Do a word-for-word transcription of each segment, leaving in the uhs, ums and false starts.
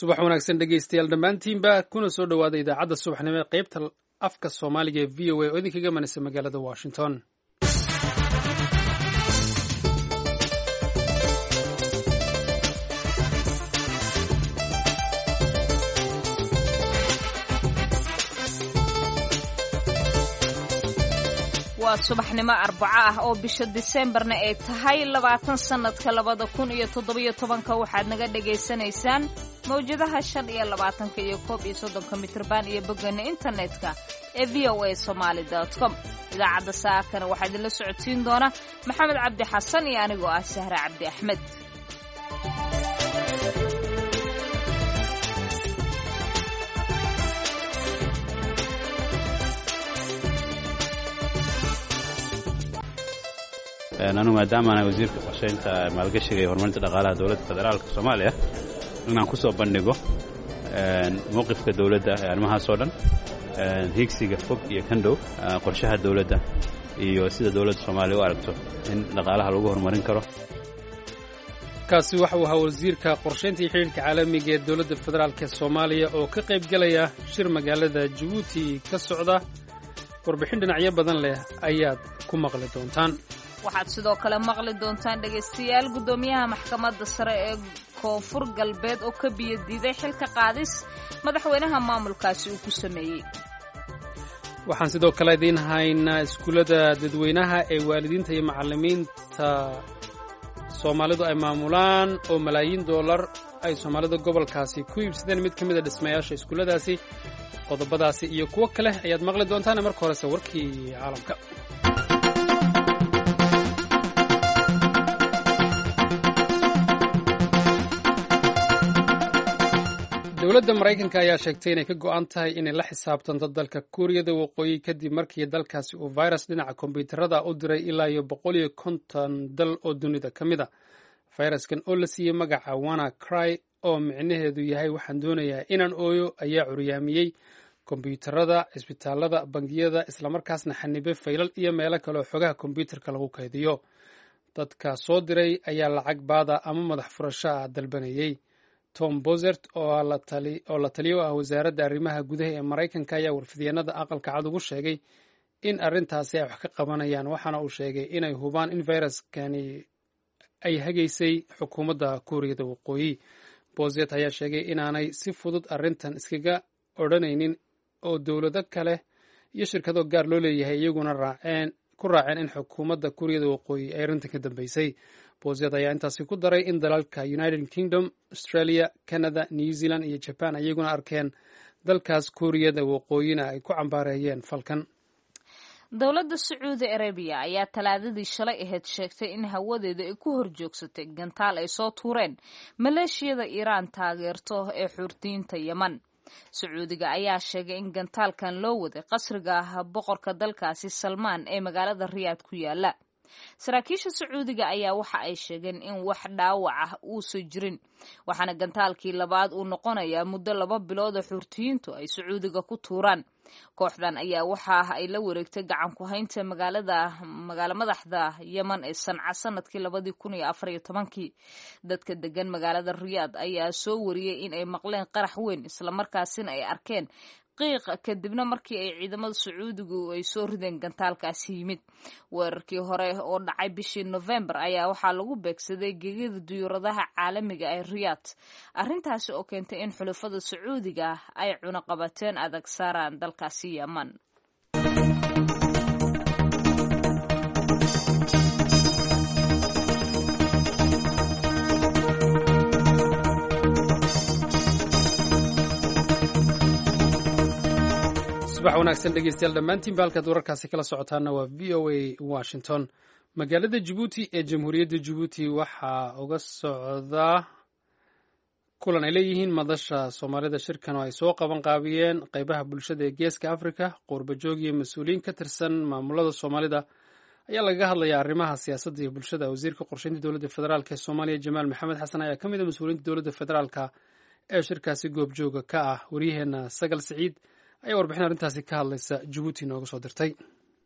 Subax wanaagsan dhegeystayaal dhammaantiinba, kuna soo dhowaada idaacadda subaxnimo ee qaybta afka Soomaaliga ee V O A oo idinkaga manaysa magaalada Washington. Waa subaxnimo Arbaco ah oo bisha Diseembarna ay tahay labaatan sanadka labada kun iyo toddobiyo tobanka. Waxaad naga dhagaysanaysaan mawjadaha shan iyo labaatanka iyo koob iyo soddonka mitrban iyo boggana internetka ee V O A Somaali com. Idaacadda saakana waxaa idinla socodsiin doona Maxamed Cabdi Xasan iyo anigoo ah Sahre Cabdi Axmed. Anu maadaama ana wasiirka qorshaynta, maalgashiga iyo horumarinta dhaqaalaha dowladda federaalka Soomaaliya, inaan ku soo bandhigo mowqifka dowladda ee arrimahaas oo dhan, higsiga fog iyo kan dhow, qorshaha dowladda iyo sida dowladda Soomaaliya u aragto in dhaqaalaha lagu horumarin karo. Kaasi waxa uu ahaa wasiirka qorshaynta iyo xidhiirka caalamiga ee dowladda federaalk ee Soomaaliya oo ka qayb gelaya shir magaalada Jabuuti ka socda. Warbixin dhinacyo badan leh ayaad ku maqli doontaan. Waxaad sidoo kale maqli doontaan, dhegaystayaal, guddoomiyaha maxkamadda sare ee Koonfur Galbeed oo ka biyo diiday xilka qaadis madaxweynaha maamulkaasi uu ku sameeyey. Waxaan sidoo kale idiin haynaa iskuullada dadweynaha ee waalidiinta iyo macallimiinta Soomaalidu ay maamulaan oo malaayiin doolar ay Soomaalida gobolkaasi ku iibsadeen mid ka mid a dhismayaasha iskuulladaasi. Qodobadaasi iyo kuwo kale ayaad maqli doontaan. Marka horese warkii caalamka. Dowladda Maraykanka ayaa sheegtay inay ka go'an tahay inay la xisaabtanto dalka Kuuriyada Waqooyi kadib markii dalkaasi uu virus dhinaca kombyuutarada u diray ilaa iyo boqol iyo konton dal oo dunida ka mid a. Fayraskan oo la siiyey magaca "Wanna Cry", oo micnaheedu yahay "waxaan doonayaa inaan ooyo", ayaa curyaamiyey kombyuutarada, cisbitaalada, bangiyada, islamarkaasna xanibay faylal iyo meelo kale oo xogaha kombyuutarka lagu kaydiyo. Dadka soo diray ayaa lacag baada ama madax furasho ah dalbanayey. Tom Bossert oo la taliyo ah wasaaradda arrimaha gudaha ee Maraykanka ayaa warfidyaenada Aqalka Cad ugu sheegay in arrintaasi ay wax ka qabanayaan, waxaana uu sheegay inay hubaan in fayraskani ay hagaysay xukuumadda Kuuriyada Waqooyi. Bossert ayaa sheegay inaanay si fudud arrintan iskaga odhanaynin oo dowlado kale iyo shirkado gaar loo leeyahay iyaguna raaceen ku raaceen in xukuumadda Kuuriyada Waqooyi ay arrintan ka dambeysay. Bossert ayaa intaasi ku daray in dalalka United Kingdom, Australia, Canada, New Zealand iyo Japan iyaguna arkeen dalkaas Kuuriyada Waqooyina ay ku cambaareeyeen falkan. Dowladda Sacuudi Arabiya ayaa Talaadadii shalay ahayd sheegtay in hawadeeda ay ku horjoogsatay gantaal ay soo tuureen maleeshiyada Iiraan taageerto ee Xuurtiyiinta Yeman. Sacuudiga ayaa sheegay in gantaalkan loo waday qasriga boqorka dalkaasi Salmaan ee magaalada Riyaad ku yaala. Saraakiisha Sacuudiga ayaa waxa ay sheegeen in wax dhaawac ah uusan jirin, waxaana gantaalkii labaad uu noqonayaa muddo laba bilood oo Xuurtiyiintu ay Sacuudiga ku tuuraan. Kooxdan ayaa waxa ay la wareegtay gacan ku haynta magaalada magaalo madaxda Yeman ee Sanca sanadkii labadii kun iyo afar iyo tobankii. Dadka degan magaalada Riyaad ayaa soo wariyey in ay maqleen qarax weyn, islamarkaasina ay arkeen qiiq, kadibna markii ay ciidamada Sacuudigu ay soo rideen gantaalkaasi yimid. Weerarkii hore oo dhacay bishii Novembar ayaa waxaa lagu beegsaday gegida diyuuradaha caalamiga ee Riyaad, arrintaasi oo keentay in xulafada Sacuudiga ay cunaqabateen adag saaraan dalkaasi Yeman. Subax wanaagsan dhegeystayaal dhammaantiinba. Halkaad wararkaasi kala socotaana waa V O A Washington. Magaalada Jabuuti ee Jamhuuriyadda Jabuuti waxaa uga socdaa kulan ay leeyihiin Madasha Soomaalida. Shirkan oo ay soo qaban qaabiyeen qeybaha bulshada ee Geeska Africa, qurbajoog iyo mas-uuliyiin ka tirsan maamulada Soomaalida ayaa lagaga hadlayaa arrimaha siyaasadda iyo bulshada. Wasiirka qorsheynta dowladda federaalk ee Soomaaliya, Jamaal Maxamed Xasan, ayaa ka mid a mas-uuliyiinta dowladda federaalka ee shirkaasi goobjooga ka ah. Waryaheena Sagal Siciid ayaa warbixin arrintaasi ka hadlaysa Jabuuti nooga soo dirtay.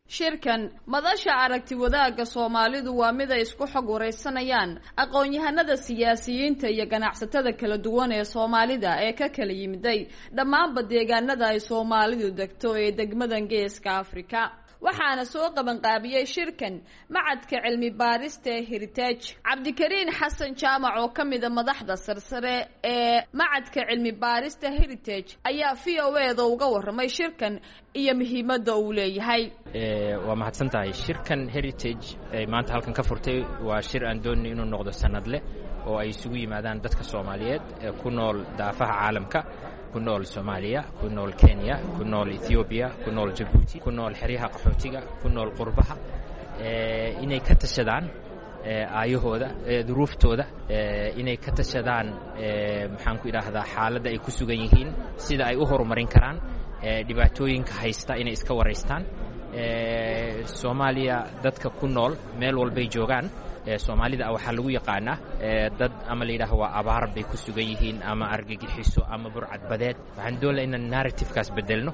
Shirkan madasha aragti wadaagga Soomaalidu waa mid ay isku xog wareysanayaan aqoon-yahanada, siyaasiyiinta iyo ganacsatada kala duwan ee Soomaalida ee ka kala yimiday dhammaanba deegaanada ay Soomaalidu degto ee degmadan Geeska Afrika. Waxaana soo qabanqaabiyey shirkan Macadka Cilmi Baarista ee Heritage. Cabdikariin Xasan Jaamac oo ka mida madaxda sarsare ee Macadka Cilmi Baarista Heritage ayaa V O A da uga warramay shirkan iyo muhiimadda uu leeyahay. Waa mahadsan tahay. Shirkan Heritage ay maanta halkan ka furtay waa shir aan doonay inuu noqdo sanadle oo ay isugu yimaadaan dadka Soomaaliyeed ee ku nool daafaha caalamka, ku nool Soomaaliya, ku nool Kenya, ku nool Ethiopia, ku nool Djibouti, ku nool xeryaha qaxootiga, ku nool qurbaha, inay ka tashadaan aayahooda, duruuftooda, inay ka tashadaan, maxaan ku idhaahdaa, xaaladda ay ku sugan yihiin, sida ay u horumarin karaan, dhibaatooyinka haysta inay iska waraystaan. Soomaaliya dadka ku nool meel walbay joogaan, Soomaalida waxaa lagu yaqaanaa dad ama la yidhaaho waa abaar bay ku sugan yihiin ama argagixiso ama burcadbadeed. Waxaan doonaa inaan narrativekaas bedelno.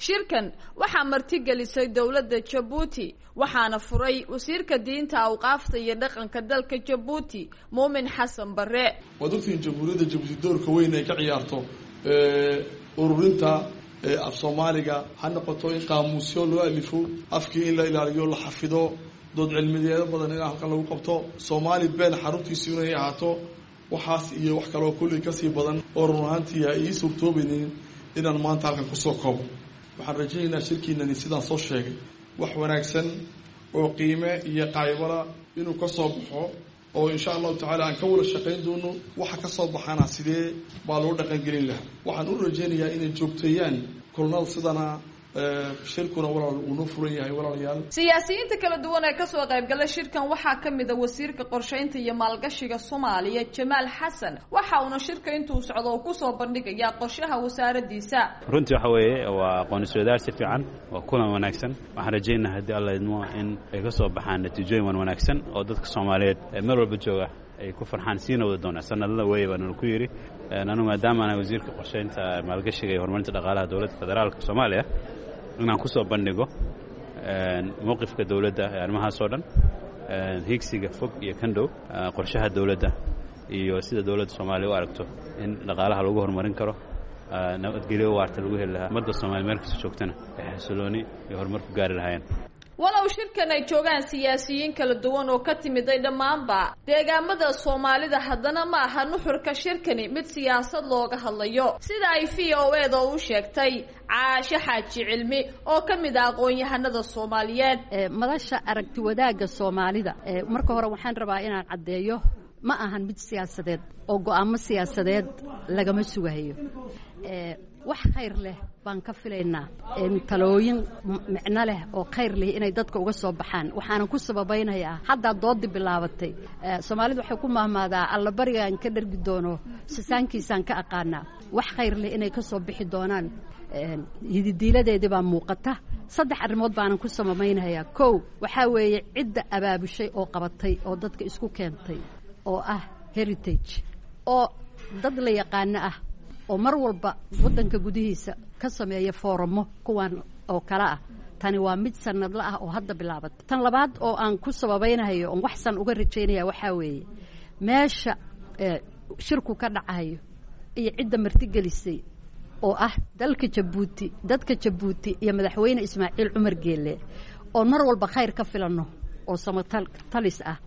Shirkan waxaa martigelisay dowladda Jabuuti, waxaana furay wasiirka diinta, awqaafta iyo dhaqanka dalka Jabuuti, Muumin Xasan Barre. Waad ogtihiin Jamhuuriyadda Jabuuti doorka weyn ay ka ciyaarto ururinta af Soomaaliga, ha noqoto in qaamuusyo loo alifo, afkii in la ilaaliyo, la xafido, dood cilmiyeedo badan in halkan lagu qabto, Soomaali been xaruntiisu inay ahaato, waxaas iyo wax kaloo kulley kasii badan oo run ahaantii ay ii suurtoobaynin inaan maanta halkan kusoo koobo. Waxaan rajaynaynaa shirkiinani sidaan soo sheegay wax wanaagsan oo qiime iyo qaybala inuu ka soo baxo, oo insha Allahu tacaala aan ka wada shaqayn doono waxa ka soo baxana sidee baa loo dhaqangelin lahaa. Waxaan u rajaynayaa inay joogteeyaan kulnada sidana. Shirkuna walaal uu noo furan yahay, walaalayaal. Siyaasiyiinta kala duwan ee kasoo qaybgala shirkan waxaa ka mid a wasiirka qorsheynta iyo maalgashiga Soomaaliya, Jamaal Xasan. Waxa uuna shirka intuu socdo uu kusoo bandhigayaa qorshaha wasaaradiisa. Runtii waxa weeye waa aqoon-isweydaar si fiican, waa kulan wanaagsan. Waxaan rajaynaha haddii Alla idmo in ay ka soo baxaan natiijooyin wan wanaagsan oo dadka Soomaaliyeed ee meel walba jooga ay ku farxaan, siina wada doonaa sanadada weeye baana ku yidhi. Anu maadaama ana wasiirka qorsheynta, maalgashiga iyo horumarinta dhaqaalaha dowladda federaalka Soomaaliya, inaan ku soo bandhigo mowqifka dowladda ee arrimahaas oo dhan, higsiga fog iyo kan dhow, qorshaha dowladda iyo sida dowladda Soomaaliya u aragto in dhaqaalaha lagu horumarin karo, nabadgelyo waarta lagu heli lahaa, ummadda Soomaaliya meel kasta joogtana ay xasilooni iyo horumar ku gaari lahaayeen. Walow shirkan ay joogaan siyaasiyiin kala duwan oo ka timiday dhammaanba deegaamada Soomaalida, haddana ma aha nuxurka shirkani mid siyaasad looga hadlayo, sida ay V O A da u sheegtay Caashe Xaaji Cilmi oo ka mid ah aqoon-yahanada Soomaaliyeed. Madasha aragti wadaagga Soomaalida, marka hore waxaan rabaa inaan caddeeyo, ma ahan mid siyaasadeed oo go'aamo siyaasadeed lagama sugayo. Wax khayr leh baan ka filaynaa, talooyin micno leh oo khayr leh inay dadka uga soo baxaan. Waxaanan ku sababaynayaa haddaa doodii bilaabatay. Soomaalidu waxay ku mahmaadaa, allabarigaan ka dhargi doono sisaankiisaan ka aqaanaa. Wax khayr leh inay ka soo bixi doonaan hididiiladeedii baa muuqata. Saddex arrimood baanan ku sababaynayaa. Kow, waxaa weeye cidda abaabushay oo qabatay oo dadka isku keentay oo ah Heritage, oo dad la yaqaano ah oo mar walba waddanka gudihiisa ka sameeya fooramo kuwan oo kale ah. Tani waa mid sanadla ah oo hadda bilaabatay. Tan labaad oo aan ku sababaynayo oon waxsan uga rajaynaya waxaa weeye meesha shirku ka dhacayo iyo cidda martigelisay oo ah dalka Jabuuti, dadka Jabuuti iyo madaxweyne Ismaaciil Cumar Geelle oon mar walba khayr ka filanno oo samatalis ah.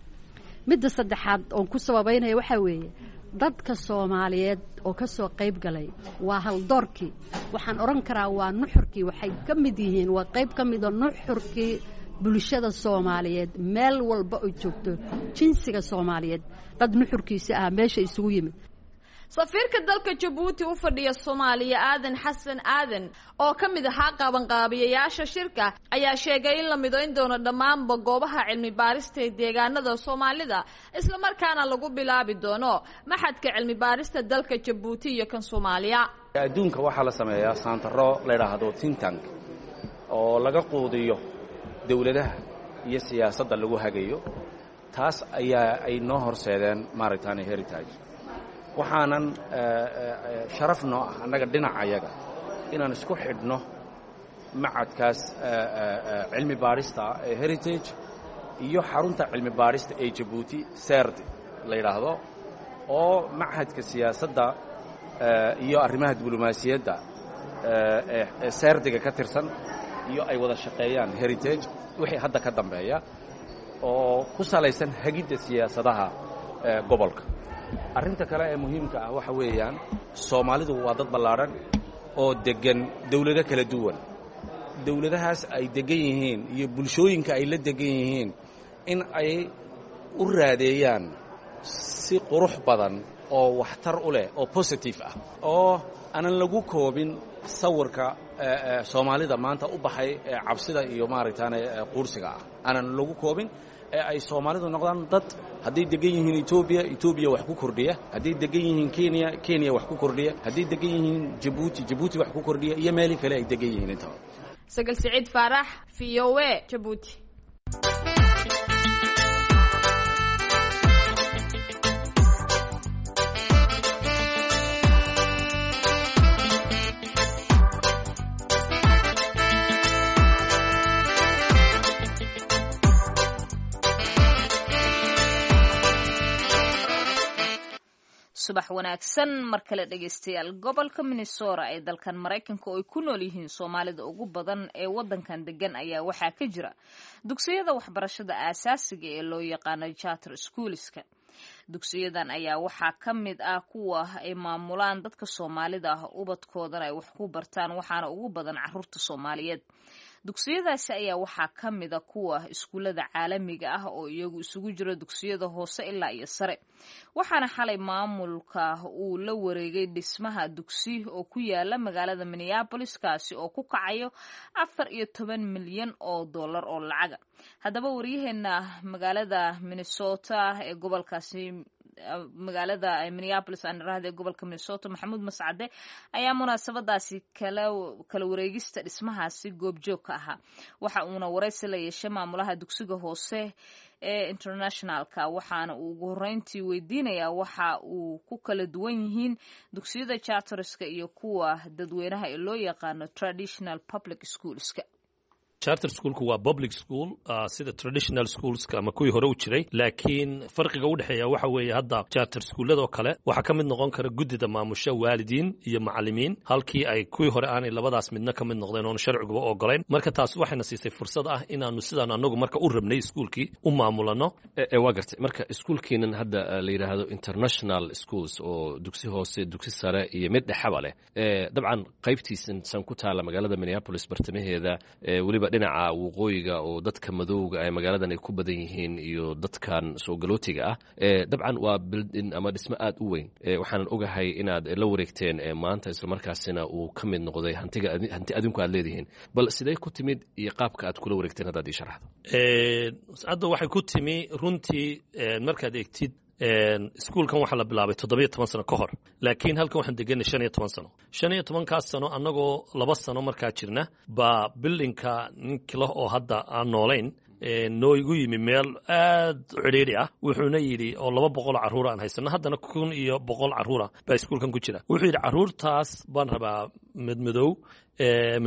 Midda saddexaad oon ku sababaynaya waxaa weeye dadka Soomaaliyeed oo ka soo qayb galay waa haldoorkii, waxaan odhan karaa waa nuxurkii, waxay ka mid yihiin, waa qayb ka mida nuxurkii bulshada Soomaaliyeed meel walba oo joogto, jinsiga Soomaaliyeed dad nuxurkiisa ah meesha isugu yimid. Safiirka dalka Jabuuti u fadhiya Soomaaliya, Aadan Xasan Aadan, oo ka mid ahaa qabanqaabiyayaasha shirka, ayaa sheegay in la midayn doono dhammaanba goobaha cilmi baarista ee deegaanada Soomaalida, islamarkaana lagu bilaabi doono Maxadka Cilmi Baarista dalka Jabuuti iyo kan Soomaaliya. Adduunka waxaa la sameeyaa saantaro la yidhaahdo think tank oo laga quudiyo dowladaha iyo siyaasadda lagu hagayo. Taas ayaa ay noo horseedeen maaragtaane Heritage. Waxaanan sharaf noo ah annaga dhinacayaga inaan isku xidhno macadkaas cilmi baadhista ee Heritage iyo xarunta cilmi baadhista ee Jabuuti C E R D la yidhaahdo, oo machadka siyaasadda iyo arrimaha diblomaasiyadda ee C E R D-iga ka tirsan iyo ay wada shaqeeyaan Heritage wixii hadda ka dambeeya, oo ku salaysan hagidda siyaasadaha gobolka. Arrinta kale ee muhiimka ah waxa weeyaan, Soomaalidu waa dad ballaadhan oo deggan dawlado kala duwan. Dawladahaas ay deggan yihiin iyo bulshooyinka ay la deggan yihiin in ay u raadeeyaan si qurux badan oo waxtar u leh oo positive ah, oo aanan lagu koobin sawirka Soomaalida maanta u baxay ee cabsida iyo maaragtaane quursiga ah aanan lagu koobin, ee ay Soomaalidu noqdaan dad hadday degan yihiin Etoobiya, Etoobiya wax ku kordhiya, hadday degan yihiin Kenya, Kenya wax ku kordhiya, hadday degan yihiin Jabuuti, Jabuuti wax ku kordhiya, iyo meelii kale ay degan yihiin intaba. Sagal Siciid Faarax, V O A, Jabuuti. Subax wanaagsan mar kale, dhegeystayaal. Gobolka Minnesota ee dalkan Maraykanka, oo ay ku nool yihiin Soomaalida ugu badan ee wadankan degan, ayaa waxaa ka jira dugsiyada waxbarashada aasaasiga ee loo yaqaano charter schoolska. Dugsiyadan ayaa waxaa ka mid ah kuwa ay maamulaan dadka Soomaalida ah, ubadkoodana ay wax ku bartaan, waxaana ugu badan caruurta Soomaaliyeed. Dugsiyadaasi ayaa waxaa ka mid a kuwa iskuullada caalamiga ah, oo iyagu isugu jiro dugsiyada hoose ilaa iyo sare. Waxaana xalay maamulka uu la wareegay dhismaha dugsi oo ku yaala magaalada Minneapolis, kaasi oo ku kacayo afar iyo toban milyan oo dollar oo lacaga. Haddaba waryaheena magaalada Minnesota ee gobolkaasi, magaalada Minneapolis aan iraahdo, ee gobolka Minnesota, Maxamuud Mascade ayaa munaasabadaasi kala kala wareegista dhismahaasi goobjoog ka ahaa. Waxa uuna waraysi la yeeshay maamulaha dugsiga hoose ee Internationalka, waxaana uu ugu horreyntii weydiinayaa waxa uu ku kala duwan yihiin dugsiyada charterska iyo kuwa dadweynaha ee loo yaqaano traditional public schoolska. Charter schoolku waa public school uh, sida traditional schoolska ama kuwii hore u jiray, laakiin farqiga u dhexeeya waxa weeye, hadda charter schooladoo kale waxaa ka mid noqon kara guddida maamusha waalidiin iyo macallimiin, halkii ay kuwii hore aanay labadaas midna ka mid noqdeen oonu sharciguba ogolayn. Marka taas waxayna siisay fursad ah inaanu sidaan anagu marka u rabnay iskuulkii u maamulano. Waa gartay. Marka iskuulkiinan hadda la yidhaahdo International Schools, oo dugsi hoose, dugsi sare iyo mid dhexaba leh, dabcan qaybtiisan san ku taala magaalada Minneapolis bartamaheeda, weliba dhinaca waqooyiga oo dadka madowga ee magaaladan ay ku badan yihiin iyo dadkan soo galootiga ah, dabcan waa building ama dhismo aad u weyn. Waxaanan ogahay inaad la wareegteen maanta, islamarkaasina uu ka mid noqday hantiga hanti adinku aad leedihiin. Bal sidee ku timid iyo qaabka aad kula wareegteen haddaad ii sharaxdo? Hadda waxay ku timi runtii, markaad eegtid, iskuulkan waxaa la bilaabay toddobiyo toban sano ka hor, laakiin halkan waxaan deganay shan iyo toban sano. Shan iyo tobankaas sano, annagoo laba sano markaa jirna, baa buildingka ninkila oo hadda aan noolayn noo igu yimi meel aad u cidhiidhi ah. Wuxuuna yidhi, oo laba boqol carruur aan haysano, haddana kun iyo boqol carruura baa iskuulkan ku jira, wuxuu yidhi, "Carruurtaas baan rabaa madmadow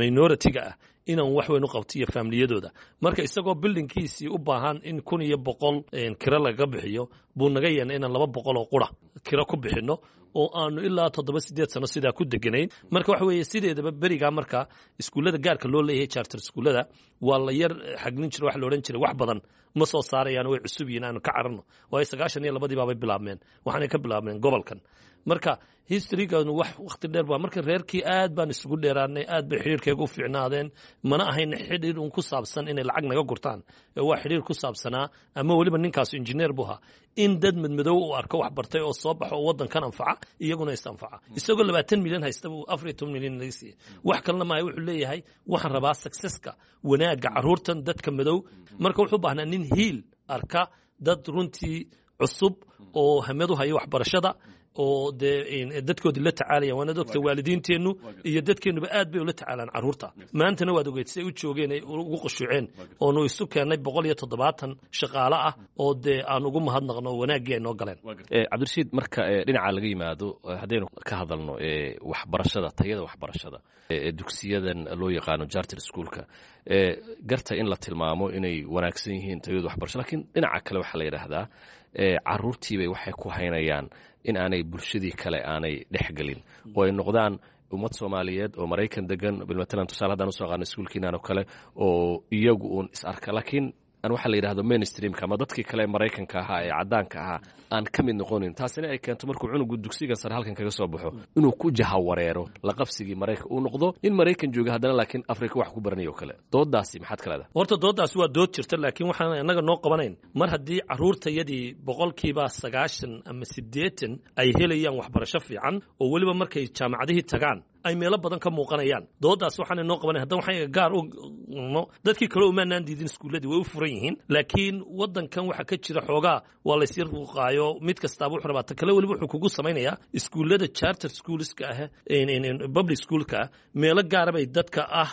minority-ga ah inaan wax weyn u qabto iyo faamiliyadooda." Marka isagoo buildingkiisii u baahan in kun iyo boqol kiro lagaga bixiyo, buu naga yeennay inaan laba boqol oo qura kiro ku bixinno, oo aanu ilaa toddoba sideed sano sidaa ku deganayn. Marka waxa weeye, sideedaba berigaa marka iskuullada gaarka loo leeyahay, charter iskuullada, waa la yar xaglin jira. Waxa la odhan jiray wax badan ma soo saarayaan, way cusub yihiin, aanu ka cararno, waayo sagaashan iyo labadii baabay bilaabmeen, waxaanay ka bilaabmeen gobolkan. Marka historyganu wax wakhti dheer baa. Marka reerkii aad baan isugu dheeraanay, aad bay xidhiirkayga u fiicnaadeen. Mana ahayn xidhiir un ku saabsan inay lacag naga gurtaan, waa xidhiir ku saabsanaa, ama weliba ninkaas injineer buu ahaa, in dad madmadow uu arko wax bartay oo soo baxo oo waddankan anfaca, iyaguna is anfaca. Isagoo labaatan milyan haysta buu afar iyo toban milyan naga siiyey. Wax kalena maaha, wuxuu leeyahay, "Waxaan rabaa successka, wanaagga carruurtan dadka madow." Marka wuxuu baahnaa nin hiil arka dad runtii cusub oo hamad u haya waxbarashada. Oo dee dadkoodii la tacaalayaan. Waanaad ogta, waalidiinteennu iyo dadkeennuba aad bay ula tacaalaan carruurta. Maantana waad ogeyd si ay u joogeen, ay ugu qushuuceen, oonu isu keennay boqol iyo toddobaatan shaqaale ah oo dee aan ugu mahadnaqno wanaaggii ay noo galeen. Cabdirashiid, marka dhinaca laga yimaado, haddaynu ka hadalno waxbarashada, tayada waxbarashada dugsiyadan loo yaqaano charter schoolka, garta in la tilmaamo inay wanaagsan yihiin tayadu waxbarasho, lakiin dhinaca kale waxaa la yidhaahdaa caruurtiibay waxay ku haynayaan in aanay bulshadii kale aanay dhexgelin oo ay noqdaan ummad Soomaaliyeed oo Maraykan degan. Bilmatalan, tusaale haddaan usoo qaadno iskuulkiinan oo kale oo iyagu uun is arka, laakiin aan waxaa la yidhahdo mainstreamka ama dadkii kale ee Maraykanka ahaa ee caddaanka ahaa aan ka mid noqonin. Taasina ay keento markuu cunugu dugsigan sare halkan kaga soo baxo inuu ku jahawareero la qabsigii Maraykan, uu noqdo nin Maraykan jooga haddana laakiin Afrika wax ku baranayo kale. Doodaasi maxaad ka leedahay? Horta doodaasi waa dood jirta, laakiin waxaan innaga noo qabanayn mar haddii carruurtayadii boqolkiiba sagaashan ama siddeetan ay helayaan waxbarasho fiican, oo weliba markay jaamacadihii tagaan ay meelo badan ka muuqanayaan. Doodaas waxaana noo qabanay haddana waxaan gaar u dadkii kale umaanaan diidin, iskuulladii way u furan yihiin, laakiin waddankan waxa ka jira xoogaa waa laysii ruuqaayo. Mid kastaaba wuxuu rabaa ta kale. Weliba wuxuu kugu samaynayaa iskuullada charter schoolska ah, public schoolka ah, meelo gaara bay dadka ah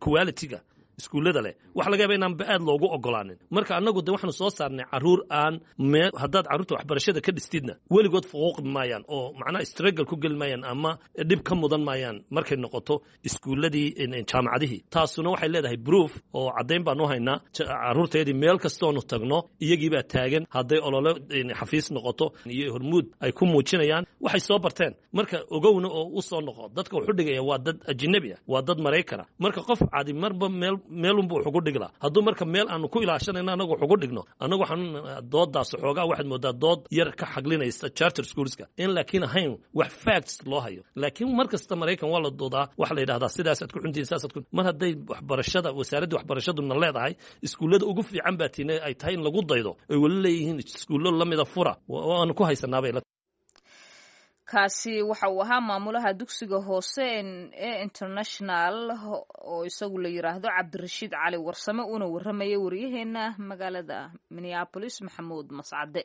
quality-ga iskuullada leh waxa laga yaaba inaanba aad loogu ogolaanin. Marka annagu de waxaanu soo saarnay carruur aan mee haddaad carruurta waxbarashada ka dhistidna weligood fuquuqi maayaan oo macnaha struggle ku geli maayaan ama dhib ka mudan maayaan markay noqoto iskuulladii, jaamacadihii. Taasuna waxay leedahay proof oo caddayn baanu haynaa. Carruurteedii meel kastoonu tagno iyagiibaa taagan, hadday olole xafiis noqoto iyo hormuud ay ku muujinayaan waxay soo barteen. Marka ogowna oo u soo noqo, dadka wuxu dhigaya waa dad ajnabi ah, waa dad Maraykana. Marka qof cadi marba meel meelunbu wax ugu dhiglaa. Hadduu marka meel aanu ku ilaashanayno annagu wax ugu dhigno, annagu waxaan doodaas xoogaa waxaad moodaa dood yar ka xaglinaysa charter schoolska in laakiin ahayn wax facts loo hayo. Laakiin mar kasta Maraykan waa la doodaa, waxa la yidhahdaa sidaasaad ku xuntihin, saasaad ku mar hadday waxbarashada wasaaradda waxbarashaduna leedahay iskuullada ugu fiican baa tiina ay tahay in lagu daydo, ay weli leeyihiin iskuullo lamida fura, waanu ku haysanaabay. Kaasi waxa uu ahaa maamulaha dugsiga hoose ee International oo isagu la yiraahdo Cabdirashiid Cali Warsame, uuna warramayay wariyaheena magaalada Minneapolis, Maxamuud Mascade.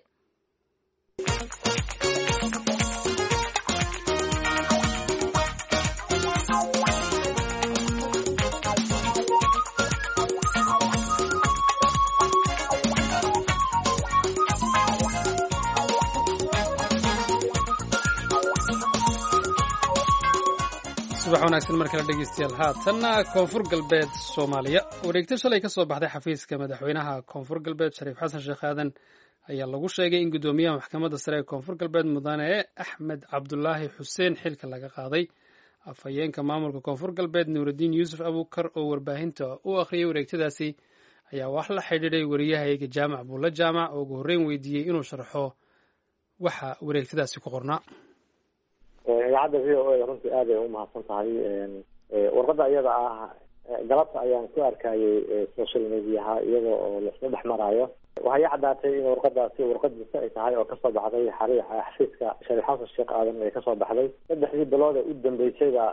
Subax wanaagsan mar kale, dhegeystayaal. Haatanna Koonfur Galbeed Soomaaliya. Wareegto shalay ka soo baxday xafiiska madaxweynaha Koonfur Galbeed, Shariif Xasan Sheekh Aadan, ayaa lagu sheegay in guddoomiyaha maxkamadda sare ee Koonfur Galbeed, mudane Axmed Cabdulaahi Xuseen, xilka laga qaaday. Afhayeenka maamulka Koonfur Galbeed, Nuuraddiin Yuusuf Abuukar, oo warbaahinta u akhriyay wareegtadaasi, ayaa wax la xidhiidhay wariyahayga Jaamac Buulla Jaamac oo ugu horreyn weydiiyey inuu sharxo waxa wareegtadaasi ku qornaa. Idaacadda V O A runtii aad ay umahadsan tahay. Warqadda iyada ah galabta ayaan ku arkayay social mediaha iyada oo laisla dhex maraayo. Waxay i caddaatay in warqadaasi warqadiisa ay tahay oo kasoo baxday xariixa xafiiska Shariif Xasan Sheekh Aadan ay kasoo baxday. Saddexdii bilood ee u dambeysayba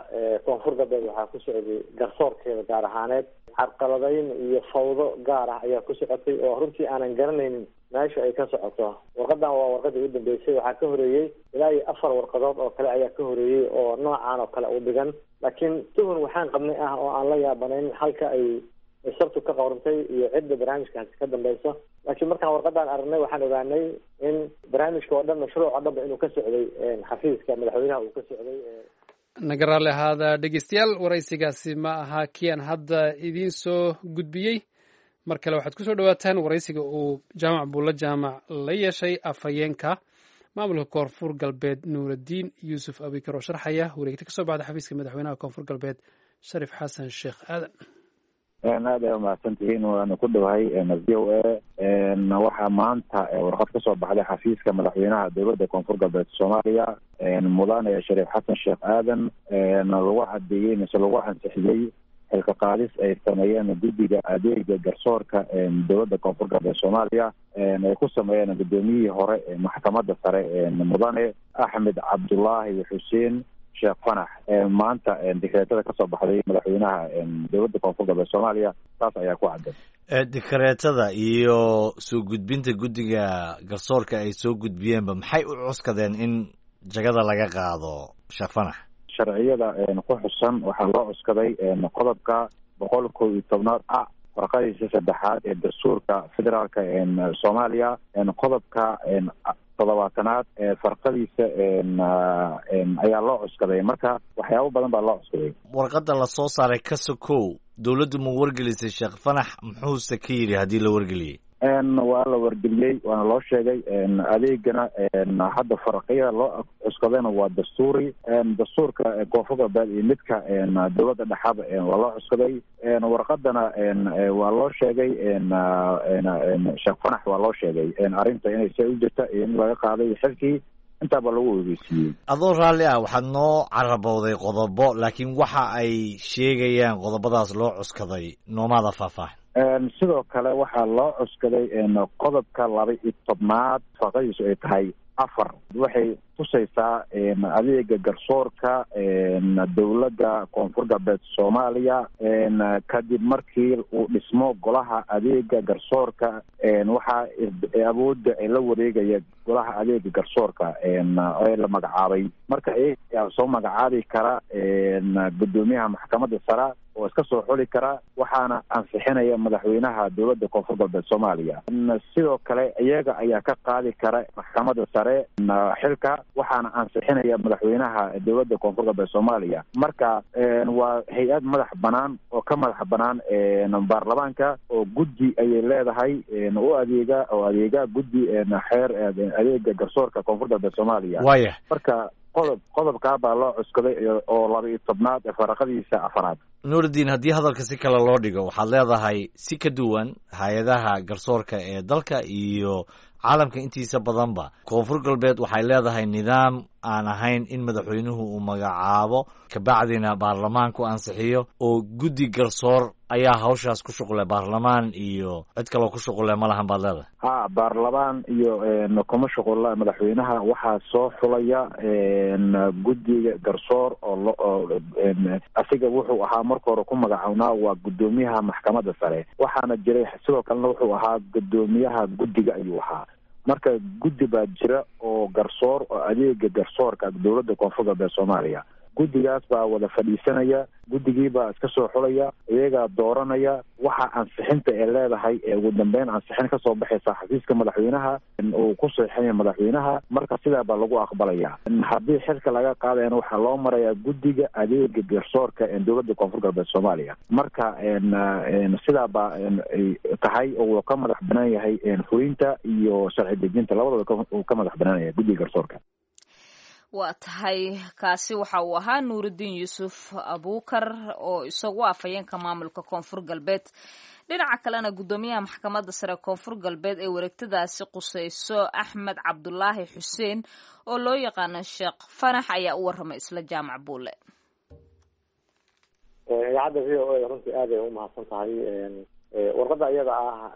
Koonfur Galbeed waxaa ku socday garsoorkeeda gaar ahaaneed carqaladayn iyo fawdo gaar ah ayaa ku socotay oo runtii aanan garanaynin meesha ay ka socoto. Warqadan waa warqadii u dambeysay. Waxaa ka horeeyey ilaa iyo afar warqadood oo kale ayaa ka horeeyey oo noocan oo kale u dhigan, laakiin tuhun waxaan qabnay ah oo aan la yaabanayn halka ay sartu ka qawrantay iyo cidda barnaamijkaasi ka dambeyso. Laakiin markaan warqadan aragnay waxaan ogaanay in barnaamijka oo dhan, mashruuc oo dhanba, inuu ka socday xafiiska madaxweynaha uu ka socday. Naga raalli ahaada, dhegeystayaal, waraysigaasi ma aha kii aan hadda idiin soo gudbiyey. Mar kale waxaad kusoo dhawaataan waraysiga uu Jaamac Buulla Jaamac la yeeshay afhayeenka maamulka Koonfur Galbeed, Nuuraddiin Yuusuf Abikar, oo sharxaya wareegta kasoo baxda xafiiska madaxweynaha Koonfur Galbeed, Shariif Xasan Sheekh Aadan. Aad ay umahadsan tihiin, waana ku dhowahay V O A. Waxaa maanta warqad kasoo baxday xafiiska madaxweynaha dowladda Koonfur Galbeed Soomaaliya, mudane Shariif Xasan Sheekh Aadan, lagu cadeeyey mise lagu ansixiyey xilka qaadis ay sameeyeen guddiga adeega garsoorka dowladda Koonfur Galbeed Soomaaliya ay ku sameeyeen guddoomiyihii hore ee maxkamadda sare, mudane Axmed Cabdulaahi Xuseen Sheekh Fanax. Maanta dikreetada kasoo baxday madaxweynaha dowladda Koonfur Galbeed Soomaaliya taas ayaa ku cadday. Dikreetada iyo soo gudbinta guddiga garsoorka ay soo gudbiyeenba, maxay u cuskadeen in jagada laga qaado Sheekh Fanax? Sharciyada ku xusan waxaa loo cuskaday qodobka boqol kow iyo tobnaad a warqadiisa saddexaad ee dastuurka federaalka Soomaaliya, qodobka toddobaatanaad ee farqadiisa ayaa loo cuskaday. Marka waxyaabo badan baa loo cuskaday. Warqadda lasoo saaray ka sokow, dowladdu ma wargelisay Sheekh Fanax? Muxuuse ka yidhi haddii la wargeliyey? Waa la wargeliyey, waana loo sheegay. Adeegana hadda farqiyada loo cuskadayna waa dastuuri, dastuurka Koonfur Galbeed iyo midka dowladda dhexaba waa loo cuskaday. Warqadana waa loo sheegay Sheekh Fanax, waa loo sheegay arrinta inay se u jirta iyo in laga qaaday xilkii, intaaba lagu ogeysiiyey. Adoo raalli ah, waxaad noo carabowday qodobo, laakiin waxa ay sheegayaan qodobadaas loo cuskaday noomaada faahfaahin. Sidoo kale waxaa loo cuskaday qodobka laba iyo tobnaad farqadiisu ay tahay afar. Waxay tusaysaa adeega garsoorka dowladda Koonfur Galbeed Soomaaliya kadib markii uu dhismo golaha adeega garsoorka, waxaa awoodda la wareegaya golaha adeega garsoorka ee la magacaabay. Marka iyagaa soo magacaabi kara guddoomiyaha maxkamadda sare oo iska soo xuli kara, waxaana ansixinaya madaxweynaha dowladda Koonfur Galbeed Soomaaliya. Sidoo kale iyaga ayaa ka qaadi kara maxkamadda sare xilka, waxaana ansixinaya madaxweynaha dowladda Koonfur Galbeed Soomaaliya. Marka waa hay-ad madax banaan oo ka madax banaan baarlamaanka, oo guddi ayay leedahay u adeega oo adeega guddi xeer adeega garsoorka Koonfur Galbeed Soomaaliya. Waya marka qodob qodobkaa baa loo cuskaday oo laba iyo tobnaad ee faraqadiisa afaraad. Nuurudiin, haddii hadalka si kale loo dhigo, waxaad leedahay si ka duwan hay-adaha garsoorka ee dalka iyo caalamka intiisa badanba, Koonfur Galbeed waxay leedahay nidaam aan ahayn in madaxweynuhu uu magacaabo kabacdina baarlamaanku ansixiyo, oo guddi garsoor ayaa hawshaas ku shuqle, baarlamaan iyo cid kaloo ku shuqule ma lahan baad leedahay. Ha, baarlamaan iyo kuma shuqula madaxweynaha. Waxaa soo xulaya guddiga garsoor oo oo asiga wuxuu ahaa marka hore ku magacawnaa waa guddoomiyaha maxkamadda sare, waxaana jiray sidoo kalena wuxuu ahaa guddoomiyaha guddiga ayuu ahaa. Marka guddi baa jira oo garsoor oo adeega garsoorka dowladda Koonfur Galbeed Soomaaliya. Guddigaas baa wada fadhiisanaya, guddigii baa iska soo xulaya, iyagaa dooranaya. Waxa ansixinta ee leedahay ee ugu dambeyn ansixin kasoo baxaysa xafiiska madaxweynaha uu ku seexinaya madaxweynaha. Marka sidaa baa lagu aqbalaya. Haddii xilka laga qaadayana waxaa loo marayaa guddiga adeega garsoorka ee dowladda Koonfur Galbeed Soomaaliya. Marka sidaa baa tahay oo uu ka madax banaan yahay fulinta iyo sharci dejinta, labadaba uu ka madax banaan yahay guddiga garsoorka. Waa tahay, kaasi waxa uu ahaa Nuurudiin Yuusuf Abuukar oo isagu afhayeenka maamulka Koonfur Galbeed. Dhinaca kalena, guddoomiyaha maxkamadda sare Koonfur Galbeed ee wareegtadaasi quseyso, Axmed Cabdulaahi Xuseen oo loo yaqaano Sheekh Fanax, ayaa u warramay isla Jaamac Buule. Idaacadda V O A runtii aad ay u mahadsan tahay. Warqadda iyada ah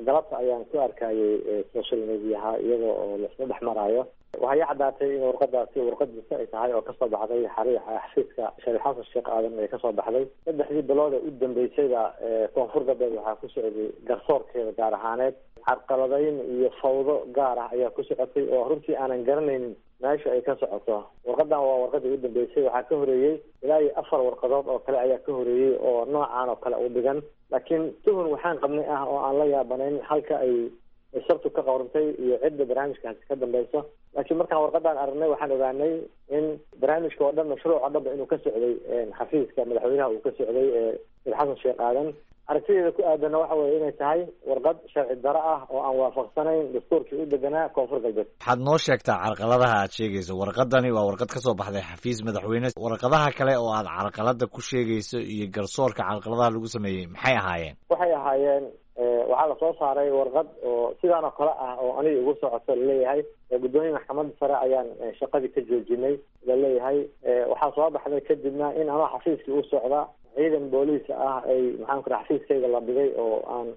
galabta ayaan ku arkayay social mediaha iyada oo laisla dhex maraayo. Waxaa ii caddaatay in warqadaasi warqadiisa ay tahay oo kasoo baxday xariixa xafiiska Shariif Xasan Sheekh Aadan ay kasoo baxday. Saddexdii bilood ee u dambeysayba Koonfur Galbeed waxaa ku socday garsoorkeeda gaar ahaaneed carqaladayn iyo fawdo gaar ah ayaa ku socotay, oo runtii aanan garanaynin meesha ay ka socoto. Warqadan waa warqadii u dambeysay. Waxaa ka horeeyey ilaa iyo afar warqadood oo kale ayaa ka horeeyey oo noocan oo kale u dhigan, laakiin tuhun waxaan qabnay ah oo aan la yaabanayn halka ay sabtu ka qawrantay iyo cidda barnaamijkaasi ka dambeyso. Laakiin markaan warqadan aragnay waxaan ogaanay in barnaamijka oo dhan, mashruuc oo dhanba inuu ka socday xafiiska madaxweynaha uu ka socday Sheekh Xasan Sheekh Aadan. Aragtideeda ku aadanna waxa weeye inay tahay warqad sharci daro ah oo aan waafaqsanayn dastuurkii u deganaa Koonfur Galbeed. Waxaad noo sheegtaa carqaladaha aad sheegayso. Warqadani waa warqad ka soo baxday xafiis madaxweyne. Warqadaha kale oo aad carqalada ku sheegayso iyo garsoorka carqaladaha lagu sameeyey maxay ahaayeen? Waxay ahaayeen, waxaa lasoo saaray warqad oo sidaan oo kale ah oo aniga igu socoto laleeyahay guddoomiye maxkamadda sare ayaan shaqadii ka joojinay laleeyahay. Waxaa soo baxday kadibna in anoo xafiiskii u socda ciidan booliis ah ay maxaan ku raha xafiiskayga la dhigay oo aan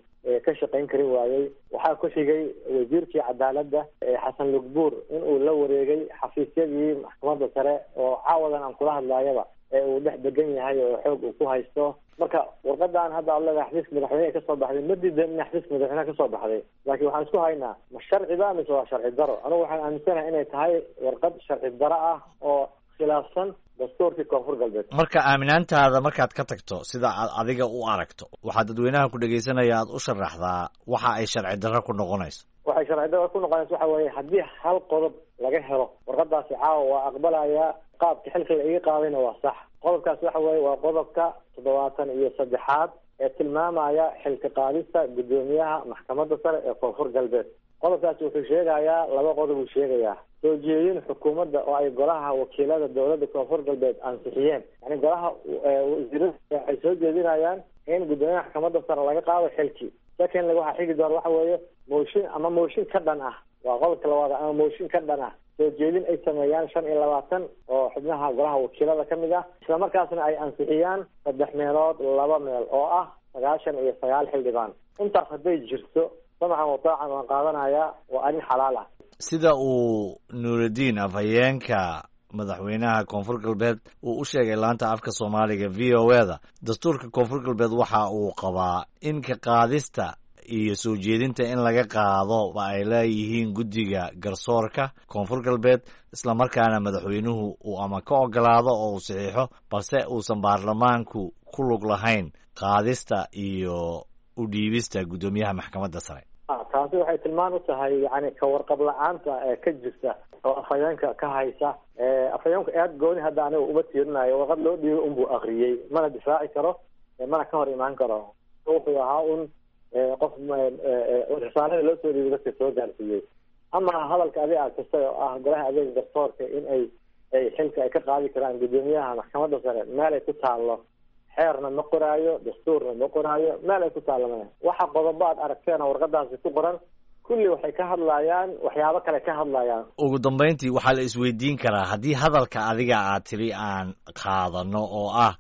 ka shaqayn karin waayey. Waxaa ku xigay wasiirkii cadaaladda Xasan Lugbuur in uu la wareegay xafiisyadii maxkamadda sare oo caawadan aan kula hadlaayaba ee uu dhex degan yahay oo xoog uu ku haysto. Marka warqadan hadda ad leedahay xafiiska madaxweyneha kasoo baxday, ma diidan in xafiiska madaxweyneha kasoo baxday, laakiin waxaan isku haynaa ma sharci ba mise waa sharci daro. Anigu waxaan aaminsanahay inay tahay warqad sharci daro ah oo khilaafsan dastuurkii Koonfur Galbeed. Marka aaminaantaada markaad ka tagto sida aad adiga u aragto, waxaa dadweynaha ku dhegaysanaya aad u sharaxdaa waxa ay sharci darro ku noqonayso. Waxay sharci darro ku noqonayso waxa weeye haddii hal qodob laga helo warqadaasi caawa waa aqbalayaa, qaabka xilka la iga qaadayna waa sax. Qodobkaas waxa weeye waa qodobka toddobaatan iyo saddexaad ee tilmaamaya xilka qaadista guddoomiyaha maxkamadda sare ee Koonfur Galbeed. Qodobkaasi wuxuu sheegayaa laba qodob uu sheegayaa: soo jeedin xukuumadda oo ay golaha wakiilada dowladda Koonfur Galbeed ansixiyeen, yani golaha wasiirada waxay soo jeedinayaan in guddoomiyaha maxkamadda sare laga qaado xilkii. Secondly, waxaa xigi doona waxa weeye mooshin ama mooshin ka dhan ah, waa qodobka labaad, ama mooshin ka dhan ah soo jeedin ay sameeyaan shan iyo labaatan oo xubnaha golaha wakiilada ka mid ah, islamarkaasna ay ansixiyaan saddex meelood laba meel oo ah sagaashan iyo sagaal xildhibaan. Intaas hadday jirto, samaxan wataacan waan qaadanayaa, waa arrin xalaal ah. Sida uu Nuuraddiin afhayeenka madaxweynaha Koonfur Galbeed uu u sheegay laanta afka Soomaaliga V O A da, dastuurka Koonfur Galbeed waxa uu qabaa in ka qaadista iyo soo jeedinta in laga qaado ba ay leeyihiin guddiga garsoorka Koonfur Galbeed, islamarkaana madaxweynuhu uu ama ka ogolaado oo uu saxiixo, balse uusan baarlamaanku ku lug lahayn qaadista iyo u dhiibista guddoomiyaha maxkamadda sare. Taasi waxay tilmaan u tahay yani ka warqab la-aanta ee ka jirta oo afhayeenka ka haysa. Afhayeenku aad gooni hadda aniga uma tiirinayo, warqad loo dhiibay unbuu akriyey, mana difaaci karo mana ka hor imaan karo. Wuxuu ahaa un qof risaalada loo soo dhiibay dadka soo gaarsiiyey. Ama hadalka adiga aad kastay oo ah golaha adeega garsoorka in ay ay xilka ay ka qaadi karaan guddoomiyaha maxkamadda sare, meel ay ku taallo xeerna ma qoraayo, dastuurna ma qoraayo, meel ay ku taallo male. Waxa qodobo aad aragteen oo warqadaasi ku qoran kulli waxay ka hadlayaan waxyaabo kale ka hadlayaan. Ugu dambeyntii waxaa la isweydiin karaa haddii hadalka adiga aad tiri aan qaadano oo ah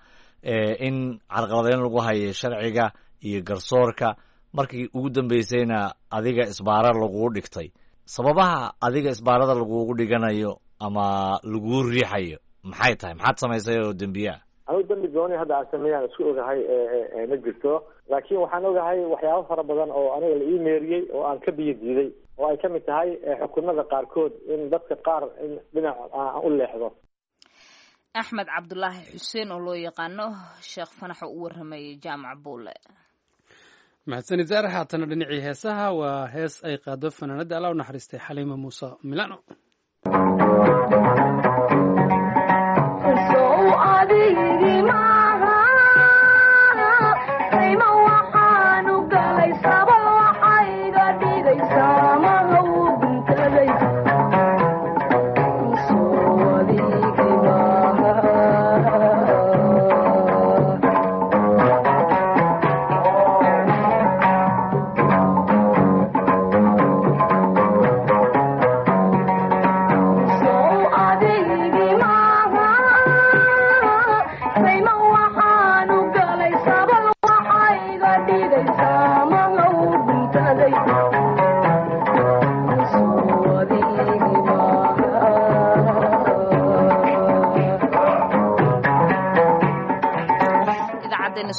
in carqaladeyn lagu hayo sharciga iyo garsoorka, markii ugu dambeysayna adiga isbaara lagugu dhigtay, sababaha adiga isbaarada lagugu dhiganayo ama laguu riixayo maxay tahay? Maxaad samaysay oo dembiye ah? Anigu dambi gooni hadda aan sameeyaan isku ogahay ma jirto, laakiin waxaan ogahay waxyaabo fara badan oo aniga la ii meeriyey oo aan ka biyo diiday, oo ay kamid tahay xukunada qaarkood in dadka qaar in dhinac aan u leexdo. Axmed Cabdulaahi Xuseen oo loo yaqaano Sheekh Fanax oo u waramayay Jaamac Buule. Mahadsanid Zaar. Haatana dhinacii heesaha, waa hees ay qaado fanaanada alla u naxariistay Xaliima Muuse Milano.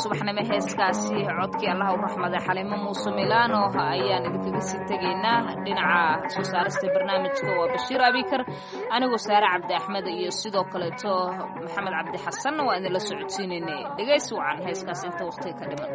Subaxnimo heeskaasi codkii allaha u raxmaday Xaliimo Muuse Milano ayaan idinkaga sii tegaynaa. Dhinaca soo saarista barnaamijka waa Bashiir Abikar, anigoo Saare Cabdi Axmed iyo sidoo kaleeto Maxamed Cabdi Xasanna waa idinla socodsiinaynay. Dhegaysi wacan heeskaas inta waqtiga ka dhiman.